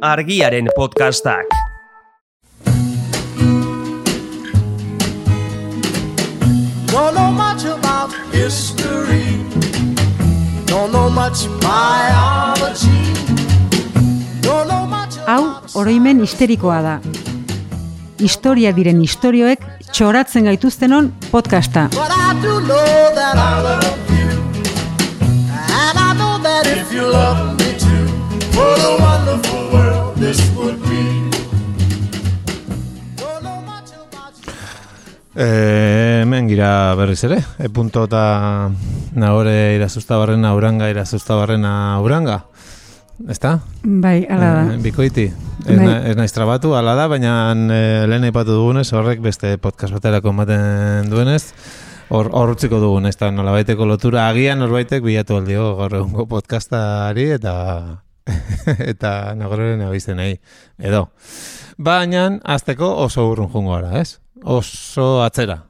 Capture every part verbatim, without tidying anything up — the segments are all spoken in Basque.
Argiaren podcastak. Don't know much about history. Don't know much biology. Don't know much. Hau oroimen histerikoa da. Historia diren istorioek txoratzen gaituztenon podcasta. But I do know that I love you. And I know that if you love me too, what a wonderful world this would be. Don't know much about you. Eh, hemen gira berriz ere, e punto eta nahore irazuztabarrena uranga, irazuztabarrena uranga. Ezta? Bai, ala da. Eh, bikoiti. Ez, Bai. na, ez naiz trabatu, ala da, baina eh, lehen aipatu dugunez, horrek beste podcast baterako ematen duenez, hor hor utziko dugun, ez da nolabaiteko lotura, agian norbaitek bilatu aldio gaur egungo podcastari eta eta nagoren abizenei, edo. Baina, azteko oso urrun jungo gara, ez? Oso atzera.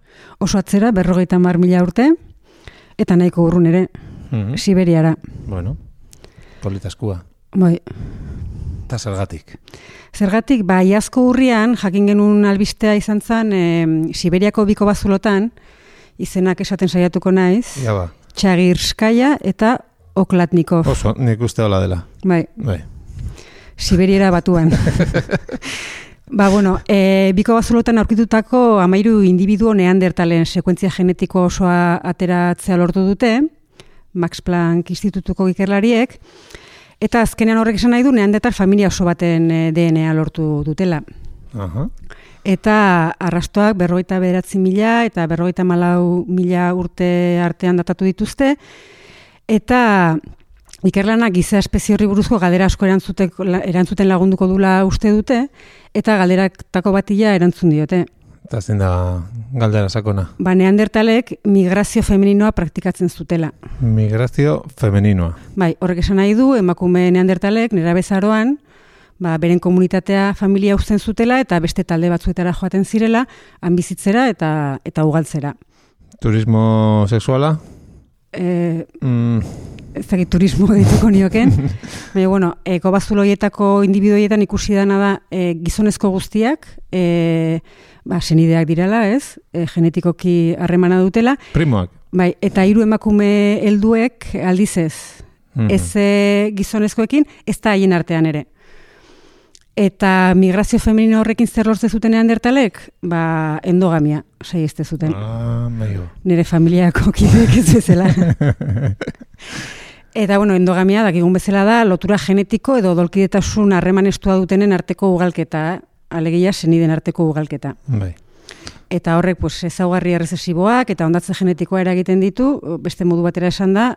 Oso atzera, berrogeita hamar mila urte, eta nahiko urrun ere, Mhm. Siberiara. Bueno, politaskua. Bai. Eta zergatik. Zergatik, ba, iazko urrian, jakin genuen albistea izan zen, e, Siberiako biko bazulotan, izenak esaten saiatuko naiz, Ja ba, Txagirskaya eta Oklatnikov. oso, nik uste hola dela. Bai, Bai. Siberiara batuan. Ba, bueno, e, biko bazulotan aurkitutako amairu individuo neandertalen sekuentzia genetiko osoa ateratzea lortu dute, Max Planck Institutuko ikerlariek, eta azkenean horrek esan nahi du neandertal familia oso baten e, D N A lortu dutela. Aha. Eta arrastoak berrogeita bederatzi mila eta berrogeita malau mila urte artean datatu dituzte, eta ikerlanak giza espezie horri buruzko galdera asko erantzuteko, erantzuten lagunduko dula uste dute, eta galderatako batila erantzun diote. Eta zein da galdera sakona. Ba, neandertalek migrazio femeninoa praktikatzen zutela. Migrazio femeninoa. Bai, horrek esan nahi du, emakume neandertalek nerabezaroan, ba, beren komunitatea familia uzten zutela eta beste talde batzuetara joaten zirela, han bizitzera eta eta ugaltzera. Turismo sexuala? E, Mm, ez dakit turismo dituko nioken, baina, bueno, e, kobazuloietako individuoietan ikusi dana da e, gizonezko guztiak, e, ba, senideak direla, ez? E, genetikoki harremana dutela, primoak. bai, eta hiru emakume helduek aldiz ez. Mhm. Ez e, gizonezkoekin, ez da haien artean ere. Eta migrazio femenino horrekin zer lortze zuten neandertalek? Ba, endogamia, saiheste zuten. Ah, maio. Nire familiako kideek ez bezala. Eta, bueno, endogamia, dakigun bezala da, lotura genetiko edo dolkidetasun harreman estua dutenen arteko ugalketa, alegia seniden arteko ugalketa. Bai. Eta horrek, pues, ezaugarri errezesiboak eta ondatze genetikoa eragiten ditu, beste modu batera esan da,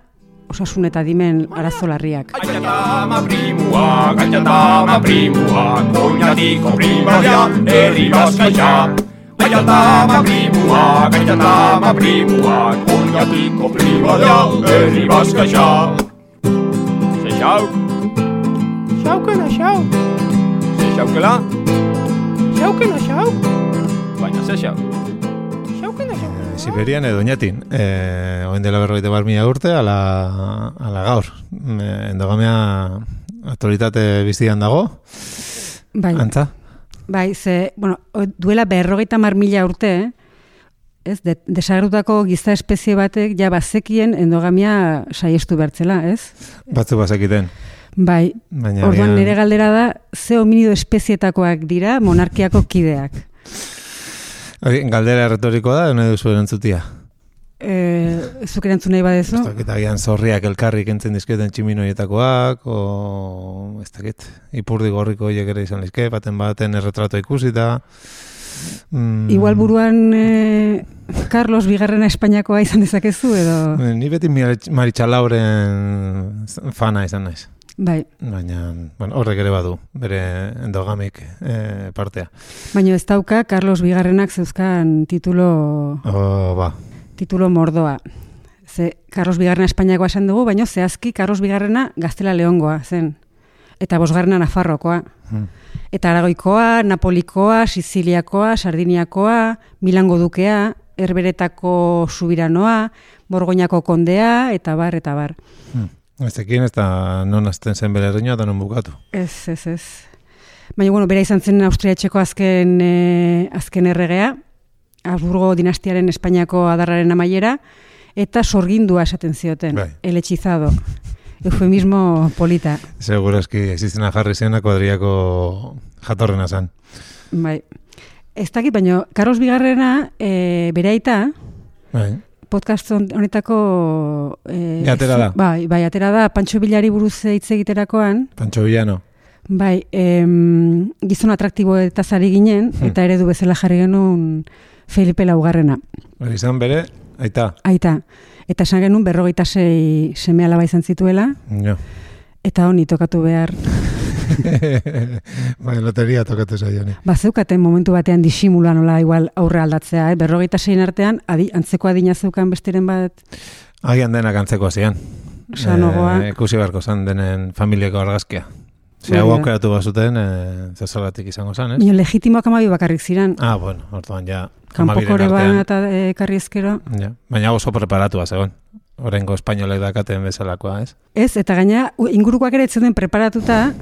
osasun eta dimen arazo larriak. Aiatama primua, aiatama primua, oinatiko primaria, herri bazkaia. Aiatama primua, aiatama primua, oinatiko primaria, herri bazkaia. Ze xauk? Xaukela, xauk. Ze xaukela? Xaukela, xauk. Baina ze xauk? Xaukela, xauk. Siberian edo oinatin, eh, oen dela berrogeita bar mila urte, ala, ala gaur. Eh, endogamia autoritate bizian dago, Bai, antza? bai, ze, bueno, duela berrogeita hamar mila urte, eh? Ez, de, desagertutako giza espezie batek ja bazekien endogamia saiestu bertzela, ez? Batzu bazekiten. Bai, Baina orduan agian- nire galdera da, ze hominido espezietakoak dira monarkiako kideak. Hori, galdera erretorikoa da, nahi duzu erantzutia. E, zuk erantzun nahi badezu? Ez dakit, agian zorriak elkarri kentzen dizkioten tximinoietakoak, o ez dakit, ipurdi gorriko horiek ere izan lizke, baten baten erretrato ikusita. Mm, Igual buruan e, Carlos Bigarrena Espainiakoa izan dezakezu edo... Ni beti Maritxalauren fana izan naiz. Bai, Baina, bueno, horrek ere badu, bere endogamik eh, partea. baina ez dauka Carlos Bigarrenak zeuzkan titulo, Oh, ba, titulo mordoa. Ze Carlos Bigarrena Espainiakoa esan dugu, baina zehazki Carlos Bigarrena Gaztela Leongoa zen. Eta bosgarrena Nafarrokoa. hmm. Eta Aragoikoa, Napolikoa, Siziliakoa, Sardiniakoa, Milango dukea, Herberetako subiranoa, Borgoñako kondea, eta bar, eta bar. Hmm. Ez ekin ez da non azten zen bere erreinoa eta non bukatu. Ez, ez, ez. Baina, bueno, bera izan zen Austria etxeko azken, e, azken erregea, Habsburgo dinastiaren Espainiako adarraren amaiera, eta sorgindua esaten zioten, bai. El hechizado. Eufemismo polita. Segurazki, existena jarri zena kuadriako jatorrena zen. Bai. Ez dakit, baina Carlos Bigarrena, e, bere aita, Bai. podcast honetako... E, Ja, atera da. Bai, bai, atera da, Pancho Villari buruz hitz egiterakoan. Pancho Villano. Bai, em, gizon atraktibo eta zari ginen, Hmm. eta eredu bezala jarri genuen Felipe Laugarrena. Hori izan bere, aita. Aita. Eta esan genuen berrogeita sei seme alaba izan zituela, Jo. eta honi tokatu behar. Bai, loteria tokatu zaion. Bazeukaten momentu batean disimula nola igual aurre aldatzea, eh? berrogeita sein artean, adi, antzeko adina zeukan besteren bat. Agian denak antzeko zian. Sanogoa. E, ikusi beharko zan denen familiako argazkia. Ze hau Bai, aukeratu bazuten, e, zezalatik izango zan, ez? Nio legitimoak amabi bakarrik ziren. Ah, bueno, orduan ja. Kanpokore hamabiren ban eta e, karri ezkero. Ja. Baina oso preparatua zegoen. Horrengo espainolek dakaten bezalakoa, ez? Ez, eta gaina u- ingurukoak ere etzuden preparatuta,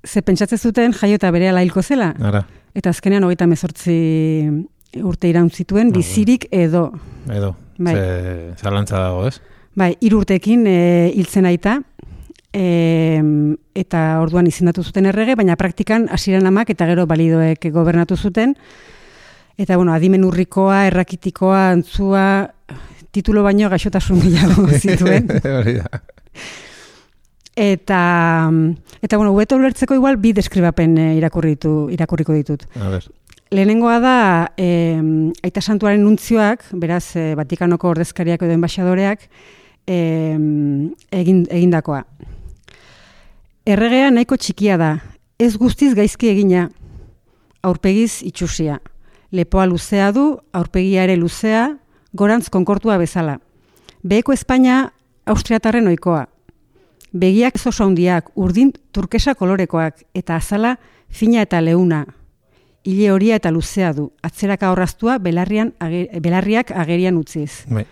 ze pentsatzen zuten jaio eta berehala hilko zela. Ara, Eta azkenean hogeita mezortzi urte iraun zituen, bizirik edo. edo. Bai. Ze zalantza dago, ez? Bai, hiru urtekin e, hiltzen aita, e, eta orduan izendatu zuten errege, baina praktikan hasieran amak eta gero balidoek gobernatu zuten. Eta, bueno, adimen urrikoa, errakitikoa, antzua, titulo baino gaixotasun gehiago zituen. Hori da. Eta, eta bueno, hubeto ulertzeko igual bi deskribapen e, irakurritu, irakurriko ditut. A ber. Lehenengoa da, e, Aita Santuaren nuntzioak, beraz, e, Vatikanoko ordezkariak edo enbaixadoreak, e, egin, egindakoa. Erregea nahiko txikia da, ez guztiz gaizki egina, aurpegiz itxusia. Lepoa luzea du, aurpegia ere luzea, gorantz konkortua bezala. Beheko Espainia austriatarren ohikoa. Begiak oso handiak, urdin turkesa kolorekoak, eta azala fina eta leuna. Ile horia eta luzea du, atzeraka horraztua belarrian, age, belarriak agerian utziz. Bai.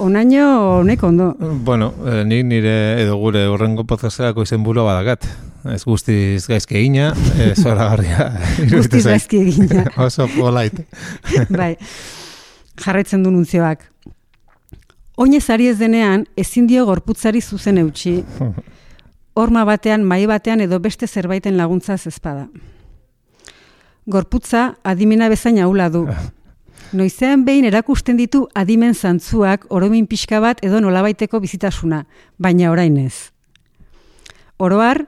Onaino honek ondo. Bueno, eh, nik nire edo gure horrengo podcastako izen burua badakat. Ez guztiz gaizki egina, eh, zoragarria. Guztiz gaizki egina. Oso polite. Bai, jarraitzen du nuntzioak. Oinez ari ez denean, ezin dio gorputzari zuzen eutxi. Horma batean, mai batean edo beste zerbaiten laguntzaz ezpada. Gorputza adimena bezain ahula du. Noizean behin erakusten ditu adimen zantzuak oromin pixka bat edo nolabaiteko bizitasuna, baina orain ez. Oroar,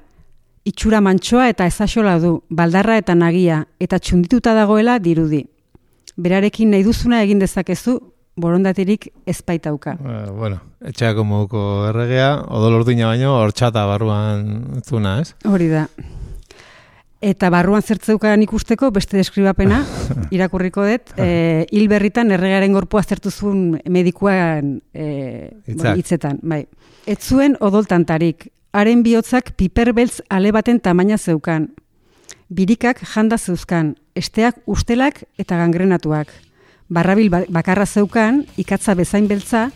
itxura mantsoa eta ezaxola du, baldarra eta nagia, eta txundituta dagoela dirudi. Berarekin nahi duzuna egin dezakezu, borondaterik ez baitauka. Uh, bueno, etxeako moduko erregea, odol urdina baino, hortxata barruan zuna, ez? Hori da. Eta barruan zertzeukan ikusteko beste deskribapena, irakurriko dut, e, hil berritan erregearen gorpua zertu zuen medikuan e, Hitzak. hitzetan. Bai. Ez zuen odoltantarik, haren bihotzak piperbeltz ale baten tamaina zeukan. Birikak janda zeuzkan, esteak ustelak eta gangrenatuak. Barrabil bakarra zeukan, ikatza bezain beltza,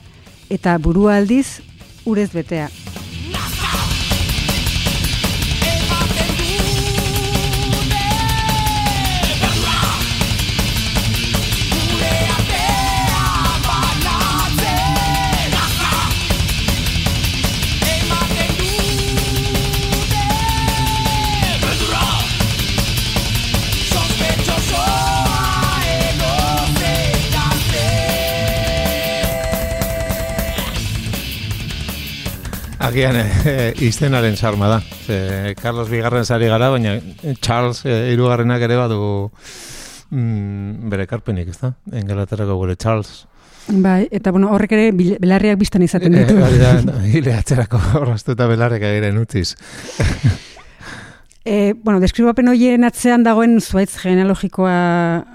eta burua aldiz urez betea. Agian e, izenaren sarma da. Ze, Carlos Bigarren sari gara, baina Charles e, hirugarrenak ere badu mm, bere karpenik, ez da? Engalaterrako gure Charles. Bai, eta bueno, horrek ere bil- belarriak biztan izaten ditu. E, hori da, hile atzerako horraztu eta belarrek agiren utziz. E, bueno, deskribapen horien atzean dagoen zuaitz genealogikoa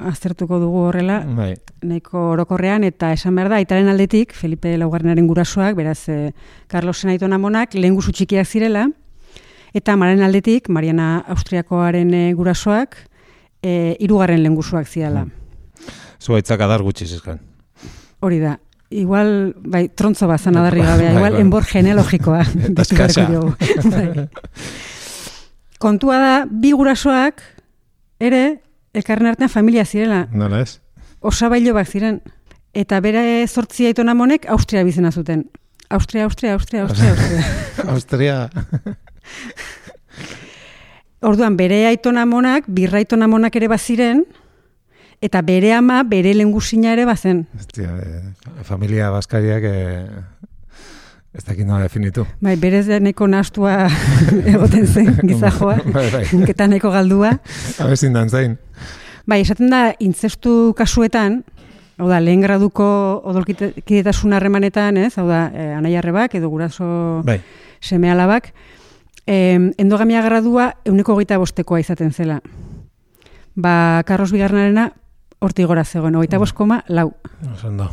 aztertuko dugu horrela, Bai. nahiko orokorrean, eta esan behar da, aitaren aldetik, Felipe Laugarrenaren gurasoak, beraz, e, Carlosen aitona amonak, lehen guzu txikiak zirela, eta amaren aldetik, Mariana Austriakoaren e, gurasoak, e, hirugarren lehen guzuak zirela. Zuaitzak adar gutxi zizkan. Hori da. Igual, bai, trontzo bazan adarri gabea, Bai, igual bai. enbor genealogikoa. Eta eskasa. Bai. kontua da, bi gurasoak ere elkarren artean familia zirela. Nola ez? Osabailo bak ziren. Eta bere zortzi aitona monek Austria bizena zuten. Austria, Austria, Austria, Austria, Austria. Austria. Orduan, bere aitona monak, birra aitona monak ere baziren, eta bere ama, bere lehengusina ere bazen. Hostia, eh, familia baskariak eh, ez dakit nola definitu. Bai, berez neko nahastua egoten zen gizajoa, Bai, bai. eta neko galdua. Abezin dan zain. Bai, esaten da, intzestu kasuetan, hau da, lehen graduko odolkidetasun harremanetan, ez? Hau da, eh, anai-arrebak edo guraso Bai. seme-alabak, eh, endogamia gradua euneko hogeita bostekoa izaten zela. Ba, Carlos Bigarrenarena hortik gora zegoen, hogeita bost koma lau. Osondo.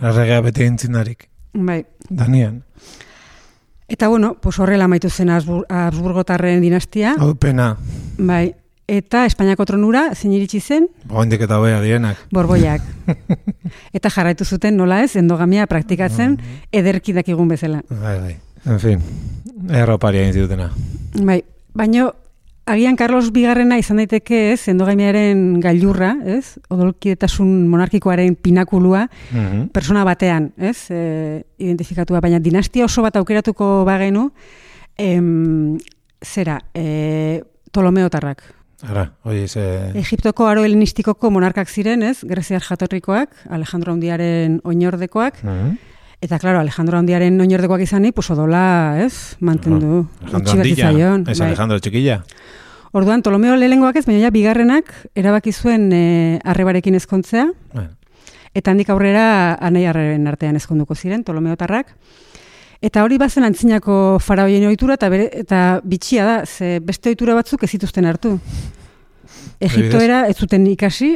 Erregea beti entzinarik. Bai. Danian. Eta bueno, pues horrela amaitu zen Habsbur- Habsburgotarren dinastia. Hau pena. Bai. Eta Espainiako tronura zein iritsi zen? Oindik eta hobea dienak. Borboiak. Eta jarraitu zuten nola ez, endogamia praktikatzen ederki dakigun bezala. Bai, bai. En fin, erroparia egin zitutena. Bai, baino agian Carlos Bigarrena izan daiteke ez, endogamiaren gailurra, ez? Odolkidetasun monarkikoaren pinakulua, Mhm. persona batean, ez? E, identifikatua, baina dinastia oso bat aukeratuko bagenu, em, zera, e, Ptolomeotarrak. Ara, hoi ze... Egiptoko aro helenistikoko monarkak ziren, ez? Greziar jatorrikoak, Alejandro Handiaren oinordekoak, Mhm. eta claro, Alejandro Handiaren oinordekoak izanik, pues odola, ez? Mantendu. Alejandro Utzi bat Handilla, zitzaion, ez bai. Alejandro Txikilla. Orduan, Ptolomeo lehengoak ez, baina ja bigarrenak erabaki zuen e, arrebarekin ezkontzea, Bueno, eta handik aurrera anai arreben artean ezkonduko ziren, Ptolomeotarrak. Eta hori bazen antzinako faraoien ohitura eta bere, eta bitxia da, ze beste ohitura batzuk ez zituzten hartu. Egiptoera ez zuten ikasi,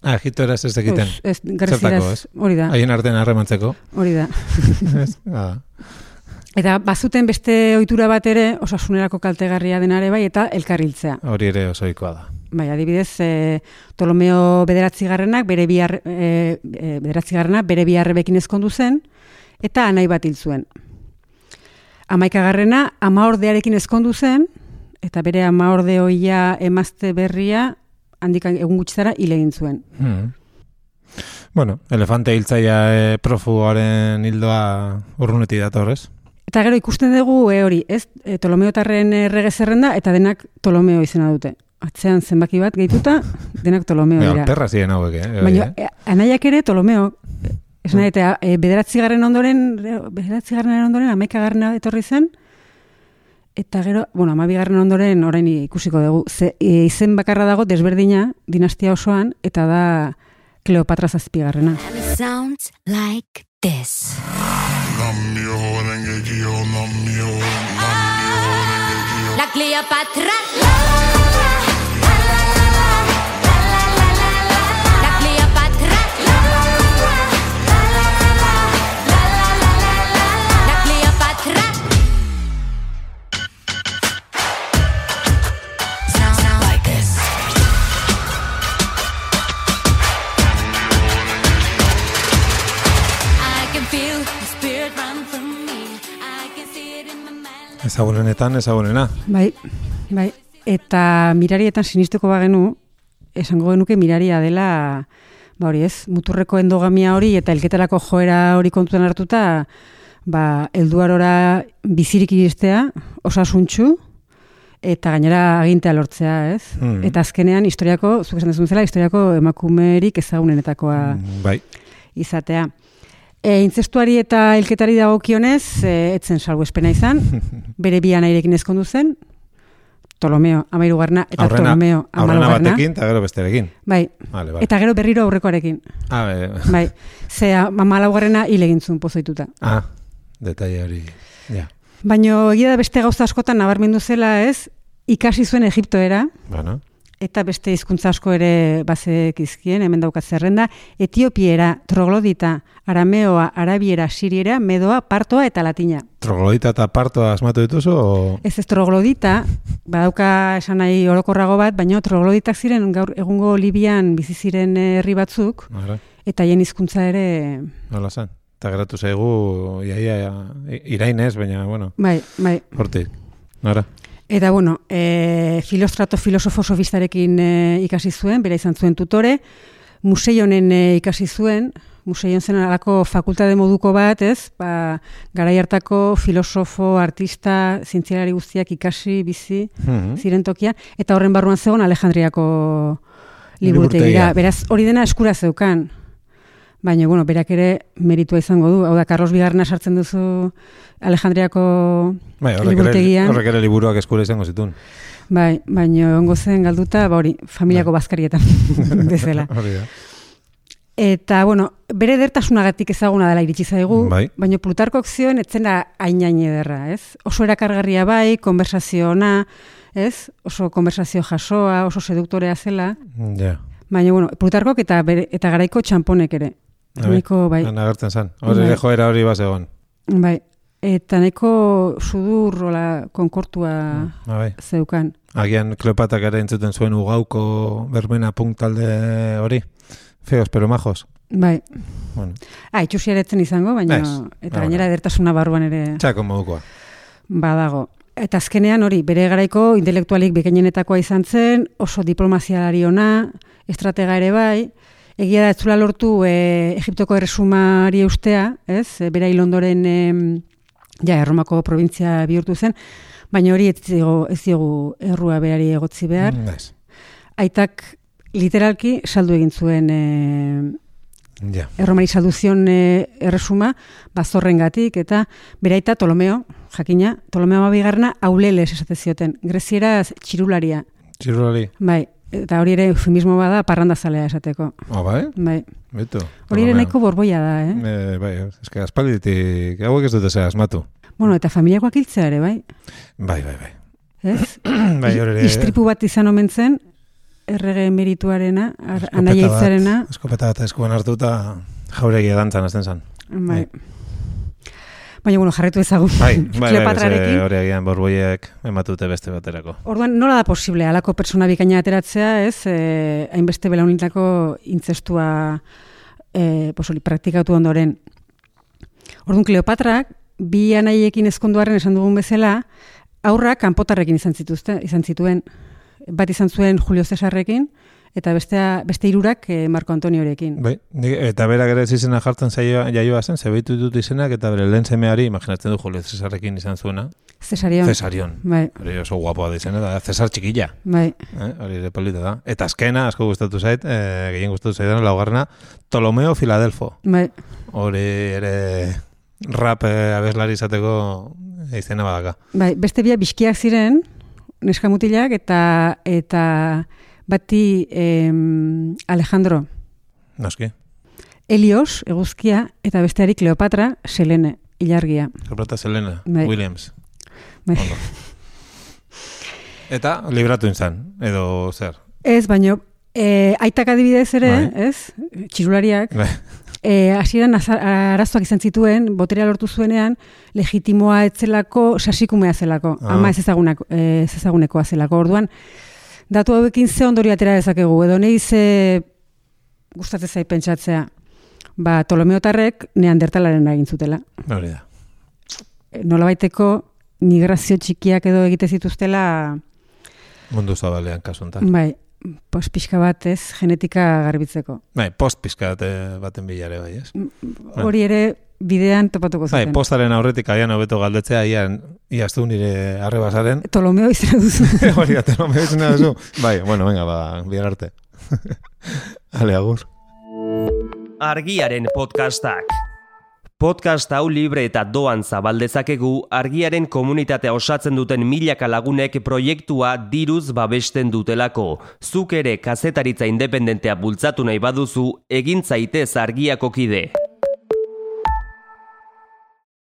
ah, Egiptoera ez egiten. pues, ez, Zertako, Grezieraz, ez? hori da, Haien artean harremantzeko. hori da. Ez? Ah. Eta bazuten beste ohitura bat ere, osasunerako kaltegarria denare bai, eta elkarriltzea. Hori ere osoikoa da. Bai, adibidez, e, Ptolomeo bederatzigarrenak bere bi arre- e, e, bederatzigarrena bere bi arrebekin ezkondu zen eta anai bat hil zuen. Hamaikagarrena amaordearekin ezkondu zen eta bere amaorde hoia emazte berria handik egun gutxi hil egin zuen. Hmm. Bueno, elefante hiltzaia e, profugoaren hildoa urrunetik dator, ez? Eta gero ikusten dugu e, hori, ez? E, Ptolomeotarren errege zerrenda eta denak Ptolomeo izena dute. Atzean zenbaki bat gehituta, denak Ptolomeo Ja, dira. perra ziren hauek, eh? Baina e, anaiak ere Ptolomeo, esan nahi, eta e, bederatzigarren ondoren, bederatzigarren ondoren, hamaikagarrena etorri zen, eta gero, bueno, hamabigarren ondoren orain ikusiko dugu, ze, e, izen bakarra dago desberdina dinastia osoan, eta da Kleopatra zazpigarrena. And it sounds like this. La Cleopatra. La Cleopatra. La Cleopatra. Sounds like this. I can feel the spirit run from me. I can see it in my mind. Ezagunenetan, ezagunena. Bai, bai. Eta mirarietan sinistuko bagenu, esango genuke miraria dela, ba hori ez, muturreko endogamia hori eta elketarako joera hori kontutan hartuta, ba, helduarora bizirik iristea, osasuntxu, eta gainera agintea lortzea, ez? Mm. Eta azkenean historiako, zuk esan dezun zela, historiako emakumerik ezagunenetakoa Bai. izatea. E, intzestuari eta hilketari dagokionez, e, etzen salbuespena izan, bere bi anairekin ezkondu zen, Ptolomeo amairugarna eta Aurrena, Ptolomeo aurrena amalaugarna. batekin eta gero besterekin. Bai, Vale, vale. eta gero berriro aurrekoarekin. Ah, be, Bai, ze amalaugarrena hil egin zuen pozoituta. ah, detaile hori. Ja. Baina egia da beste gauza askotan nabarmendu zela ez, ikasi zuen Egiptoera, Bueno, eta beste hizkuntza asko ere bazekizkien, hemen daukat zerrenda, etiopiera, troglodita, arameoa, arabiera, siriera, medoa, partoa eta latina. troglodita eta partoa asmatu dituzu, o... Ez ez troglodita, badauka esan nahi orokorrago bat, baina trogloditak ziren gaur egungo Libian bizi ziren herri batzuk, Ara, eta haien hizkuntza ere, nola zen. Eta geratu zaigu, iaia, irainez, baina, bueno, bai, bai. hortik. Ara. Eta, bueno, e, Filostrato filosofo sofistarekin e, ikasi zuen, bera izan zuen tutore, Museionen e, ikasi zuen, Museion zen alako fakultate moduko bat, ez? Ba, garai hartako filosofo, artista, zientzialari guztiak ikasi, bizi, Mhm. ziren tokia, eta horren barruan zegoen Alejandriako liburutegira. Liburutegia. Beraz, hori dena eskura zeukan. Baina, bueno, berak ere meritua izango du. Hau da, Carlos Bigarrena sartzen duzu Alejandriako Bai, horrek ere, liburutegian. horrek ere liburuak eskura izango zituen. Bai, baina ongo zen galduta, ba hori, familiako bazkarietan bezala. Hori da. Eta, bueno, bere edertasunagatik ezaguna dela iritsi zaigu, Bai. baina Plutarkok zioen etzena hain-hain ederra, ez? Oso erakargarria bai, konversazio ona, ez? Oso konversazio jasoa, oso seduktorea zela, Ja. baina, bueno, Plutarkok eta, bere, eta garaiko txamponek ere. Nahiko, bai, Han agertzen zen. Hori Bai. ere joera hori bazegon. bai. Eta nahiko sudur, rola, konkortua Ah, bai. zeukan. Agian Kleopatak ere entzuten zuen ugauko berbena punk talde hori. Feos, pero majos. Bai. Bueno, Ah, itxusia eretzen izango, baina, Ez. eta Ah, gainera bueno. edertasuna barruan ere txako modukoa. badago. Eta azkenean hori, bere garaiko intelektualik bikainenetakoa izan zen, oso diplomazialari ona, estratega ere bai, egia da ez zula lortu e, Egiptoko erresumari eustea, ez? E, bera hil ondoren e, ja, Erromako provintzia bihurtu zen, baina hori ez digu, ez digu errua berari egotzi behar. Mm, ez. Aitak literalki saldu egin zuen e, Ja. Erromari saldu zion e, erresuma, bazorrengatik, eta bere aita Ptolomeo, jakina, Ptolomeo bigarrena auleles esate zioten, grezieraz txirularia, Txirulari. bai, eta hori ere eufemismo bada parrandazalea esateko, Ah, bai? bai. Bitu. Hori ere Ptolomeo. nahiko borboia da, eh? Eh, bai, eske aspalditik, hauek ez dute zera asmatu. Bueno, eta familiakoak hiltzea ere, bai, Bai, bai, bai. ez? Bai, hori ere. Istripu bat izan omen zen, errege emerituarena, ar- Eskopeta anaia bat- hitzarena, Eskopeta bat eskuan hartuta jauregia dantzan azten zan. bai. Baina, bueno, jarretu ezagun Bai, bai, bai, Kleopatrarekin. ze hori egian borboiek ematute beste baterako. Orduan, nola da posible, halako pertsona bikaina ateratzea, ez, e, hainbeste belaunitako intzestua e, posoli, praktikatu ondoren. Orduan, Kleopatrak, bi anaiekin ezkonduaren esan dugun bezala, aurrak kanpotarrekin izan zituzte, izan zituen, bat izan zuen Julio Cesarrekin, eta bestea, beste hirurak e, Marco Antoniorekin. Bai, nik- eta berak ere ez izena jartzen zaioa, jaioa zen, zebeitu dut izenak, eta bere lehen semeari, imaginatzen du Julio Cesarrekin izan zuena, Cesarion. Cesarion. Bai, Hori oso guapoa da izena, da Cesar txikilla. bai. Eh? Hori ere polita da. Eta azkena, asko gustatu zait, eh, gehien gustatu zaidan, laugarrena, Ptolomeo Filadelfo. Bai, Hori ere rap eh, abeslari izateko izena badaka. bai, beste bia bizkiak ziren, neskamutilak, eta eta bati em, Alejandro Noski. Helios, eguzkia, eta besteari Kleopatra, Selene, ilargia. Kleopatra Selena, Bai. Williams. Bai. Ondo. Eta libratu izan, edo zer. Ez, baino, e, aitak adibidez ere, Bai. ez, txirulariak, Bai. e, hasieran aza- arazoak izan zituen, boterea lortu zuenean, legitimoa etzelako, sasikumea zelako, Ah. ama ez ezagunako, e, ez ezagunekoa zelako. Orduan, datu hauekin ze ondorio atera dezakegu, edo nahi ze gustatzen zait pentsatzea, ba, Ptolomeotarrek neandertalaren egin zutela. Hori da. E, Nolabaiteko migrazio txikiak edo egite zituztela, Mundu zabalean kasu honetan. bai, pos pixka bat ez, genetika garbitzeko. Bai, post pizkat eh, baten bilare bai, ez? Hori ere bidean topatuko Bai, zuten. postaren aurretik aian hobeto galdetzea, ian, iaztu nire arrebasaren. Ptolomeo izena duzu. Hori da, no me izena duzu. Bai, bueno, venga, ba, bihar arte. Ale, agur. Argiaren podcastak. Podcast hau libre eta doan zabaldezakegu argiaren komunitatea osatzen duten milaka lagunek proiektua diruz babesten dutelako. Zuk ere kazetaritza independentea bultzatu nahi baduzu, egin zaitez argiako kide.